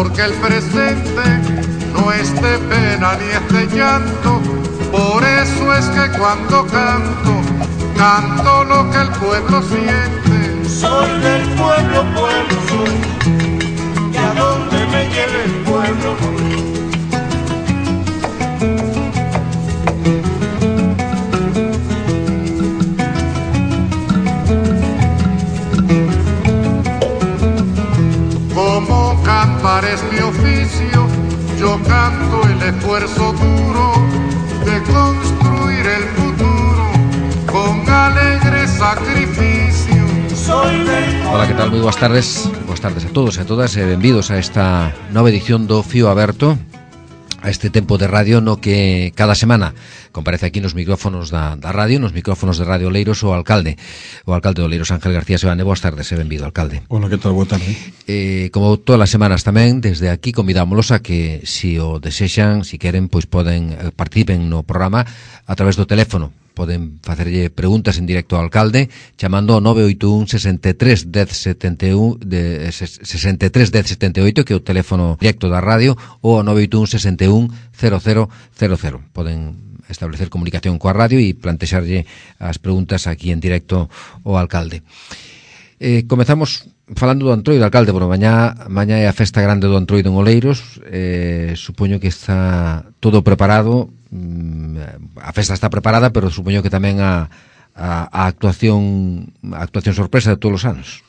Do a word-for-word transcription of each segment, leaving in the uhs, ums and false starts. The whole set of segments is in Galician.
porque el presente no es de pena ni es de llanto. Por eso es que cuando canto, canto lo que el pueblo siente. Soy del pueblo, pueblo soy, y a donde me lleve el pueblo voy. Como cantar es mi oficio, yo canto el esfuerzo duro de construir el futuro con alegre sacrificio. Ola, que tal? Moi boas tardes. Boas tardes a todos e a todas e benvidos a esta nova edición do Fío Aberto, a este tempo de radio no que cada semana comparece aquí nos micrófonos da, da radio, nos micrófonos de Radio Oleiros o alcalde, o alcalde de Oleiros, Ángel García Sebane. Boas tardes e benvido, alcalde. Hola, que tal? Boa tarde. Eh, como todas as semanas tamén, desde aquí convidámoslos a que, si o desexan, si queren, pois poden eh, participen no programa a través do teléfono. Poden facerlle preguntas en directo ao alcalde chamando ao nove oito un, sesenta e tres, dez, setenta e un de sesenta e tres, dez, setenta e oito, que é o teléfono directo da radio, ou ao nove oito un, sesenta e un, cero cero cero cero. Poden establecer comunicación coa radio e plantexarlle as preguntas aquí en directo ao alcalde. Eh, comezamos falando do Antroido, alcalde. Bueno, mañá, mañá é a festa grande do Antroido en Oleiros. Eh, supoño que está todo preparado. A festa está preparada, pero supoño que tamén a, a, a actuación a actuación sorpresa de todos os anos.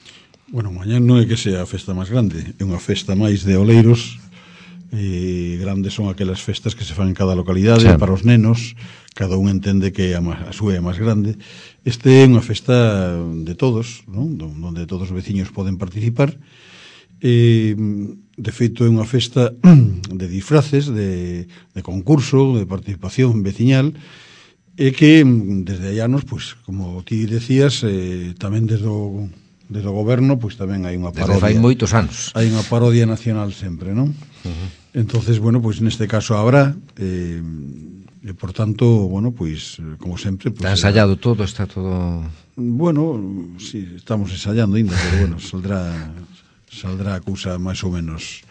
Bueno, mañá non é que sea a festa máis grande, é unha festa máis de Oleiros. E grandes son aquelas festas que se fan en cada localidade, sí, para os nenos. Cada un entende que a, a súa é máis grande. Este é unha festa de todos, non? Donde todos os veciños poden participar. E, de feito, é unha festa de disfraces, de, de concurso, de participación veciñal, e que desde hai anos, pois, como ti decías, eh, tamén desde o, desde o goberno, pois tamén hai unha parodia. Desde fai moitos anos. Hai unha parodia nacional sempre, non? Uh-huh. Entonces, bueno, pois neste caso habrá, eh, e por tanto, bueno, pois, como sempre... Pois, está ensayado era... todo, está todo... Bueno, sí, estamos ensayando ainda, pero bueno, saldrá... saldrá a cousa máis ou menos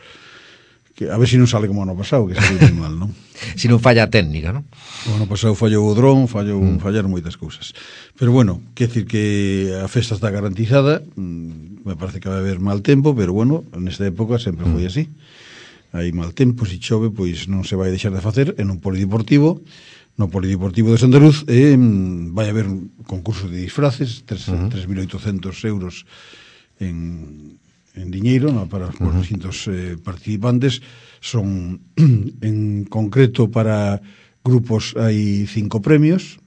que a ver se si non sale como ano pasado, que saliu moi mal, non? Se si non falla a técnica, non? O ano pasado fallou o dron, fallou, mm. fallaron moitas cousas. Pero bueno, quer decir que a festa está garantizada, me parece que vai haber mal tempo, pero bueno, nesta época sempre foi así. Hai mal tempo, se chove, pois non se vai deixar de facer en un polideportivo, no polideportivo de Sandaruz, e vai haber un concurso de disfraces, tres mil oitocentos euros en... en diñeiro, no, para os uh-huh. distintos eh, participantes. Son en concreto para grupos hai cinco premios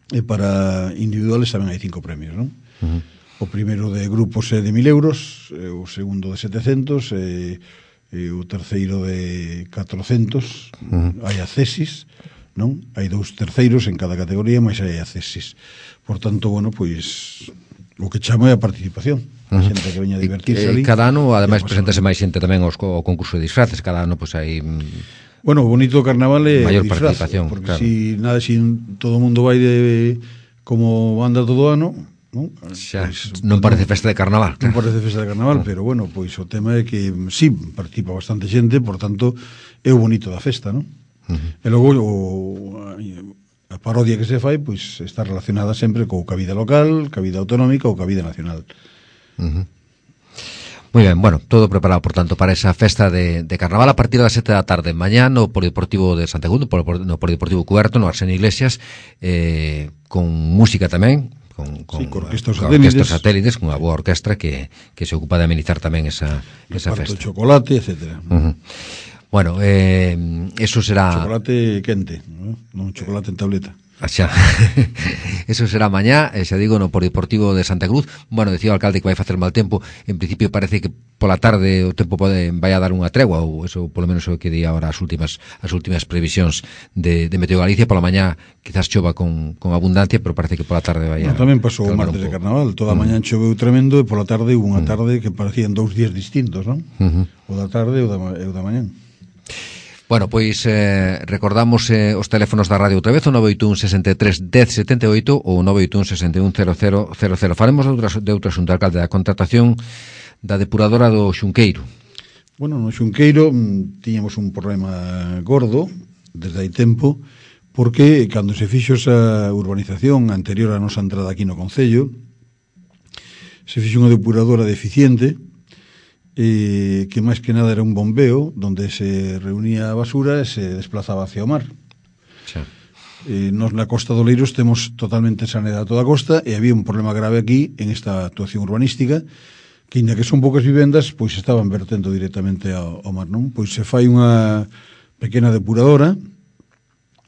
e para individuales tamén hai cinco premios, non? Uh-huh. O primeiro de grupos é de mil euros, eh, o segundo de setecentos, e, e o terceiro de catrocentos. Uh-huh. Hai accesis, non? Hai dous terceiros en cada categoría, mas hai accesis. Por tanto, bueno, pois o que chamo é a participación. A xente que veña a divertirse ali. Cada ano, ademais, preséntase máis xente tamén aos co concurso de disfraces. Cada ano, pois, hai... Bueno, o bonito do carnaval é maior disfraz, participación, porque claro. si nada, si todo o mundo vai de como anda todo o ano, non? Xa, pues, non parece festa de carnaval. Non parece festa de carnaval, uh-huh. pero bueno, pois o tema é que sí, participa bastante xente, por tanto, é o bonito da festa, non? Uh-huh. E logo o... a parodia que se fai, pois está relacionada sempre co ca vida local, ca vida autonómica ou ca vida nacional. Uh-huh. Moi ben, bueno, todo preparado, por tanto, para esa festa de, de carnaval a partir das sete da tarde mañá no Polideportivo de Santegundo, no Polideportivo Cuberto, no Arsenio Iglesias, eh, con música tamén, con, con, sí, con orquestas con satélites, orquestas satélites, con unha boa orquestra que, que se ocupa de amenizar tamén esa, esa festa. Chocolate, etcétera. Uh-huh. Bueno, eh, eso será... Chocolate quente, non, non chocolate en tableta. Xa. Eso será mañá, eh, xa digo, no Polideportivo de Santa Cruz. Bueno, decía o alcalde que vai facer mal tempo. En principio parece que pola tarde o tempo pode vai a dar unha tregua, ou eso polo menos o que di agora as últimas as últimas previsións de, de Meteo Galicia. Pola mañá quizás chova con, con abundancia, pero parece que pola tarde vai a... No, tamén pasou o martes de carnaval. Toda a mañá choveu tremendo e pola tarde hubo unha tarde que parecían dous días distintos, non? Uh-huh. O da tarde e o da, o da mañá. Bueno, pois eh, recordamos eh, os teléfonos da radio outra vez, o nove oito un, sesenta e tres, dez, setenta e oito ou nove oito un, sesenta e un, cero cero cero cero. Faremos de outro, de outro asunto, alcalde, da contratación da depuradora do Xunqueiro. Bueno, no Xunqueiro mm, tiñamos un problema gordo desde hai tempo, porque cando se fixo esa urbanización anterior a nosa entrada aquí no Concello, se fixo unha depuradora deficiente, eh, que máis que nada era un bombeo donde se reunía a basura e se desplazaba hacia o mar. Sí. Eh, nos na Costa do Leiros temos totalmente saneada toda a costa e había un problema grave aquí en esta actuación urbanística, que inda que son poucas vivendas, pois estaban vertendo directamente ao, ao mar, non? Pois se fai unha pequena depuradora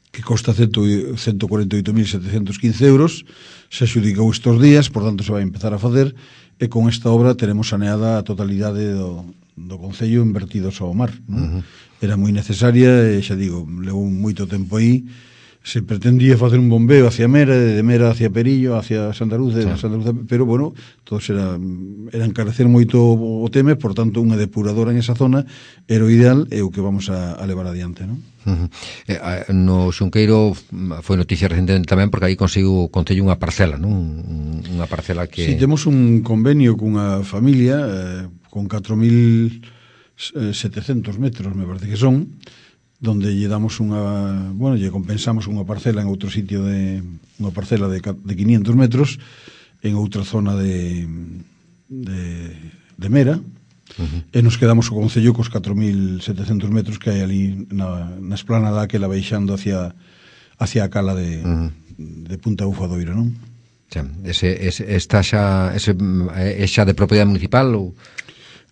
que costa ciento cuarenta e oito mil setecentos quince euros, se adxudicou estes días, por tanto se vai empezar a facer, e con esta obra teremos saneada a totalidade do, do Concello invertidos ao mar, non? Uh-huh. Era moi necesaria e, xa digo, levou moito tempo aí. Se pretendía facer un bombeo hacia Mera, de Mera hacia Perillo, hacia Santa Luz, sí. Santa Luz, pero, bueno, todos era, era encarecer moito o tema, por tanto, unha depuradora en esa zona era o ideal e o que vamos a, a levar adiante, non? Uh-huh. Eh, no Xunqueiro foi noticia recentemente tamén porque aí conseguiu o Concello unha parcela, non? Unha parcela que... Si, sí, temos un convenio cunha familia eh, con catro mil setecentos metros, me parece que son, donde lle damos unha, bueno, lle compensamos unha parcela en outro sitio de unha parcela de, de quinientos metros en outra zona de de, de Mera, uh-huh. E nos quedamos o Concello cos catro mil setecentos metros que hai ali na, na esplanada que la baixando hacia hacia a cala de, uh-huh. de Punta Bufadoiro, non? Xa, ese, ese, está xa, ese, é xa de propiedade municipal ou...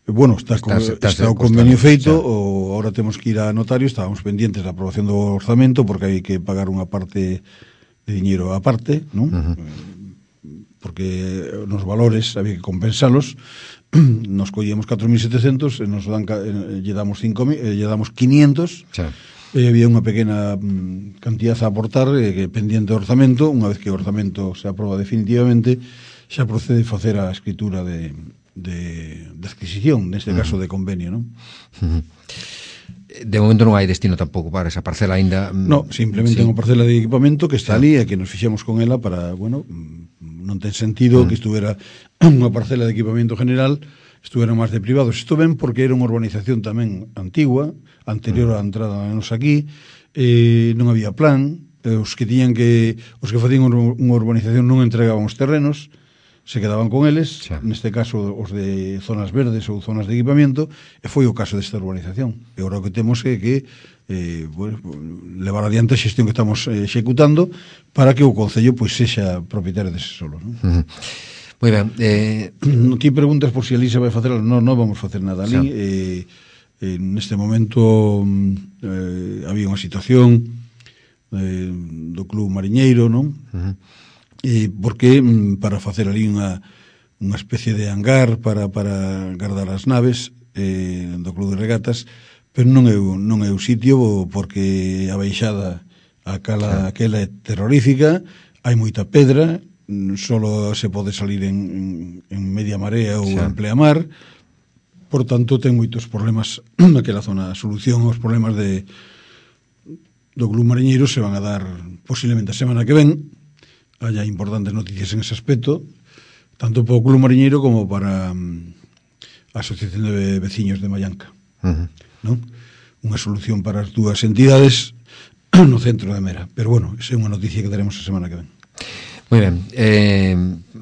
Bueno, está, estás, estás está o convenio feito, o ahora temos que ir a notario, estábamos pendientes da aprobación do orzamento porque hai que pagar unha parte de diñeiro a parte, non? Uh-huh. Porque nos valores había que compensalos. Nos collíamos catro mil setecentos e nos dan, lle damos cinco mil, lle damos quinientos. Sí. E había unha pequena cantidad a aportar eh, que pendiente do orzamento. Unha vez que o orzamento se aproba definitivamente, xa procede facer a escritura de De, de adquisición, neste uh-huh. caso de convenio, non? Uh-huh. De momento non hai destino tampouco para esa parcela aínda. No, simplemente sí. Unha parcela de equipamento que está ali e que nos fixemos con ela para, bueno, non ten sentido uh-huh. que estuvera unha parcela de equipamento general, estuvera máis de privados. Isto ben porque era unha urbanización tamén antigua, anterior uh-huh. á entrada nos aquí, eh, non había plan, eh, os que tiñan que os que facían unha urbanización non entregaban os terrenos, se quedaban con eles, sí. Neste caso os de zonas verdes ou zonas de equipamento, e foi o caso desta urbanización. E agora o que temos é que eh, bueno, levar adiante a xestión que estamos eh, executando para que o Concello pois sexa propietario dese solo, non? Uh-huh. Moi ben. Eh... Non ti preguntas por si ali se vai facer, non, non vamos facer nada ali. Sí. Eh, eh, neste momento eh, había unha situación eh, do Club Mariñeiro, non? Uh-huh. E porque para facer ali unha unha especie de hangar para, para guardar as naves eh, do Club de Regatas, pero non é, non é o sitio porque a baixada a cala aquela é terrorífica, hai moita pedra, solo se pode salir en, en media marea ou sí. En pleamar, por tanto ten moitos problemas naquela zona. A solución aos problemas de do Club Mariñeiro se van a dar posiblemente a semana que ven. Haya importantes noticias en ese aspecto, tanto para o Club Mariñeiro como para um, a Asociación de Veciños de Mallanca. Uh-huh. ¿No? Unha solución para as dúas entidades no centro de Mera. Pero bueno, esa é unha noticia que daremos a semana que ven. Moi ben. Eh,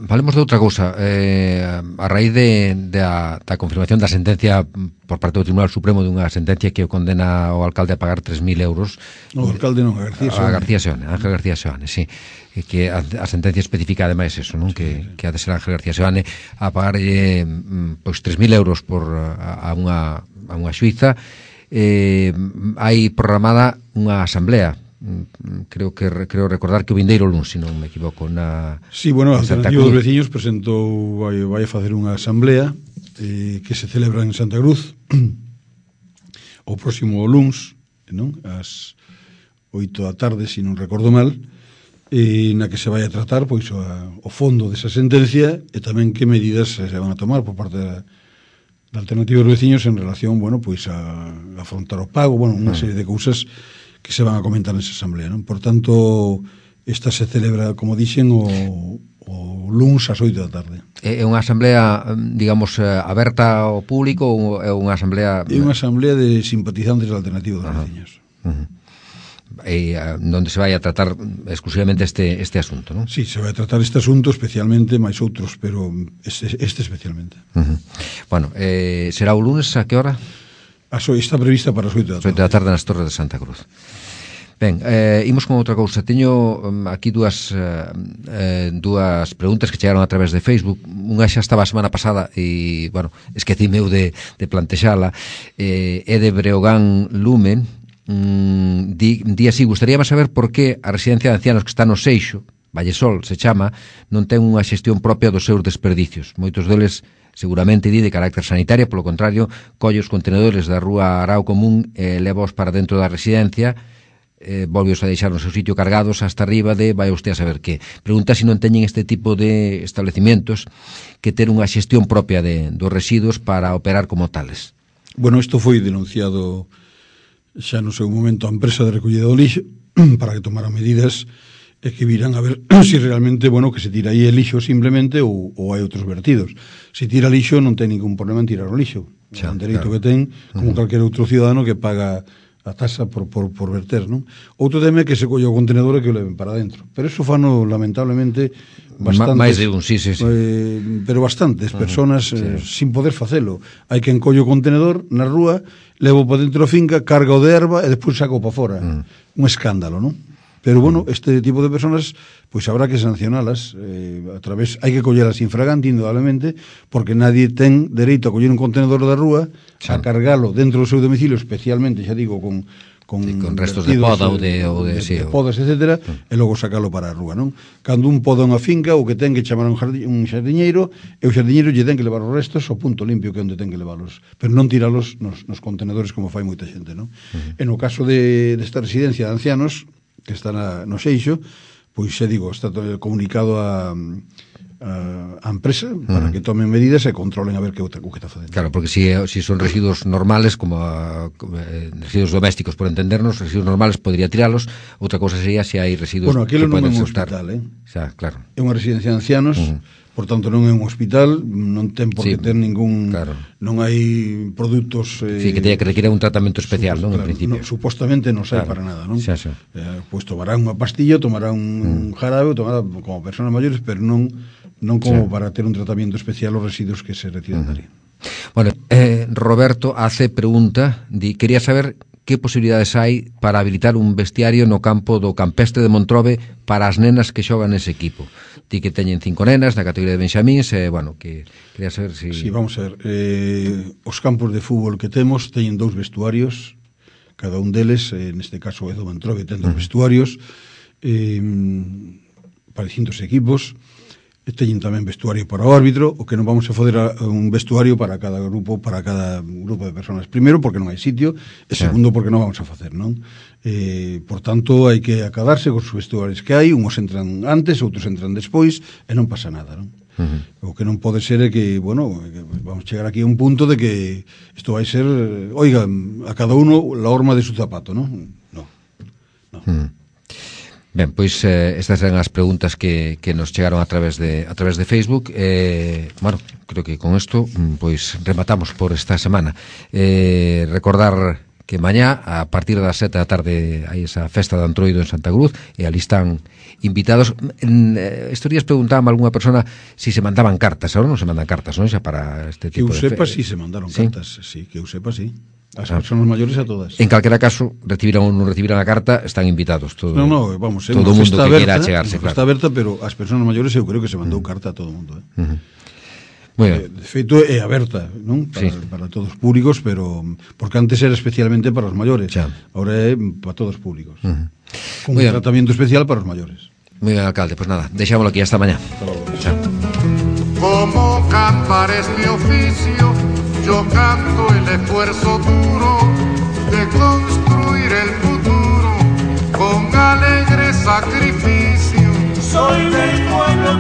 falemos de outra cousa. Eh, a raíz de, de a, da confirmación da sentencia por parte do Tribunal Supremo dunha sentencia que o condena o alcalde a pagar tres mil euros. No, o alcalde non, a García Seoane. A García Seoane, Ángel García Seoane, sí. Que a, a sentencia especifica ademais eso, non? Que, que ha de ser Ángel García Seoane a pagarlle pois tres mil euros por a, a unha a unha xuíza. Eh, hai programada unha asamblea. Creo que creo recordar que o vindeiro luns, se non me equivoco, na Sí, bueno, a Alternativa dos Veciños presentou vai, vai a facer unha asamblea eh, que se celebra en Santa Cruz o próximo luns, non? Ás oito da tarde, se non recordo mal, e na que se vai a tratar pois o, o fondo desa sentencia e tamén que medidas se van a tomar por parte da, da Alternativa dos Veciños en relación, bueno, pois a, a afrontar o pago, bueno, unha serie de cousas que se van a comentar nesa asamblea, non? Por tanto, esta se celebra, como dixen, o, o luns ás oito da tarde. É unha asamblea, digamos, aberta ao público ou é unha asamblea... É unha asamblea de simpatizantes da Alternativa dos Veciños. Uh -huh. E onde se vai a tratar exclusivamente este, este asunto, non? Sí, se vai a tratar este asunto especialmente, máis outros, pero este, este especialmente. Uh -huh. Bueno, eh, será o lunes a que hora? Está prevista para as oito da tarde. oito da tarde nas Torres de Santa Cruz. Ben, eh, imos con outra cousa. Teño um, aquí dúas eh, dúas preguntas que chegaron a través de Facebook. Unha xa estaba a semana pasada e, bueno, esquecime eu de, de plantexala. Eh, é de Breogán Lumen. Mm, di, di así, gustaríame saber por que a residencia de ancianos que está no Seixo, Vallesol se chama, non ten unha xestión propia dos seus desperdicios. Moitos deles seguramente di de carácter sanitario, polo contrario, colle os contenedores da rúa Arao Común e eh, levaos para dentro da residencia, eh, volveos a deixar no seu sitio cargados hasta arriba de vai usted a saber que. Pregunta se non teñen este tipo de establecimientos que ter unha xestión propia de, dos residuos para operar como tales. Bueno, isto foi denunciado xa no seu momento a empresa de recollida do lixo para que tomara medidas e que viran a ver se si realmente, bueno, que se tira aí el lixo simplemente ou, ou hai outros vertidos. Se tira lixo non ten ningún problema en tirar o lixo. É un dereito claro. que ten, como uh -huh. calquer outro ciudadano que paga a taxa por, por, por verter, non? Outro tema é que se colle o contenedor e que o leven para dentro. Pero eso fano, lamentablemente, bastantes... máis de un, sí, sí, sí. Eh, pero bastantes personas uh -huh. eh, sí. sin poder facelo. Hai quen colle o contenedor na rúa, levo para dentro a finca, carga o de erva e despois saco para fora. Uh -huh. Un escándalo, non? Pero, bueno, este tipo de personas, pois habrá que sancionalas eh, a través, hai que collelas infragante, indudablemente, porque nadie ten dereito a coller un contenedor da rúa, sí. a cargalo dentro do seu domicilio, especialmente, xa digo, con con, sí, con restos de poda ou de, ou de, de, sí, de podas, etcétera, uh. e logo sacalo para a rúa, non? Cando un poda unha finca, o que ten que chamar un, jardi, un xardiñeiro, e o xardiñeiro lle ten que levar os restos ao punto limpio que é onde ten que leválos, pero non tiralos nos, nos contenedores como fai moita xente, non? Uh. En o caso de, desta residencia de ancianos, que está na, no Seixo, pois xa digo, está comunicado a, a, a empresa para uh -huh. que tomen medidas e controlen a ver que outra que está facendo. Claro, porque si, si son residuos normales, como, a, como eh, residuos domésticos, por entendernos, residuos normales podría tiralos, outra cousa sería se hai residuos bueno, que poden non é un soltar. hospital, eh? Xa, claro. É unha residencia de ancianos, uh -huh. por tanto non é un hospital, non ten por que sí, ter ningún, claro. non hai produtos eh, sí, que teña que requiere un tratamento especial, non, claro, en principio. No, supostamente non sai claro. para nada, non? Xa, xa. Eh, pois tomará unha pastilla, tomará un mm. jarabe, tomará como personas maiores, pero non non como xa. para ter un tratamento especial os residuos que se retiran uh -huh. dali. Bueno, eh, Roberto hace pregunta, di, quería saber que posibilidades hai para habilitar un vestiario no campo do Campestre de Montrobe para as nenas que xogan nese equipo. Ti que teñen cinco nenas na categoría de Benxamíns, e, eh, bueno, que quería saber se... Si... Sí, vamos a ver, eh, os campos de fútbol que temos teñen dous vestuarios, cada un deles, eh, neste caso é do Montrobe, ten dous uh -huh. vestuarios, eh, para distintos equipos, teñen tamén vestuario para o árbitro, o que non vamos a foder a un vestuario para cada grupo, para cada grupo de personas. Primeiro, porque non hai sitio, e segundo, porque non vamos a facer, non? Eh, por tanto, hai que acadarse con os vestuarios que hai, uns entran antes, outros entran despois, e non pasa nada, non? Uh -huh. O que non pode ser é que, bueno, vamos chegar aquí a un punto de que isto vai ser, oiga, a cada uno la horma de su zapato, non? Non, non. Uh -huh. Ben, pois eh, estas eran as preguntas que, que nos chegaron a través de a través de Facebook. Eh, bueno, creo que con isto pois rematamos por esta semana. Eh, recordar que mañá a partir das sete da tarde hai esa festa de Antroido en Santa Cruz e ali están invitados. En eh, estos días preguntábame a algunha persona si se mandaban cartas. Ahora non se mandan cartas, non? Xa para este tipo de... Que eu sepa, de... si se mandaron ¿Sí? cartas, sí, que eu sepa, sí. As ah. personas maiores a todas. En calquera caso, recibiran ou non recibiran a carta, están invitados todo. No, no, vamos, é todo o mundo que queira achegarse, claro. Está aberta, pero as personas maiores eu creo que se mandou uh -huh. carta a todo o mundo, eh. Uh -huh. Muy ben. De feito é aberta, non? Para, sí. para todos os públicos, pero porque antes era especialmente para os maiores. Ya. Ahora é para todos os públicos. Uh -huh. Con un tratamiento especial para os maiores. Muy bien, alcalde, pues nada, deixámoslo aquí hasta mañá. Chao. Como cantar es mi oficio, yo canto el esfuerzo duro de construir el futuro con alegre sacrificio. Soy del pueblo,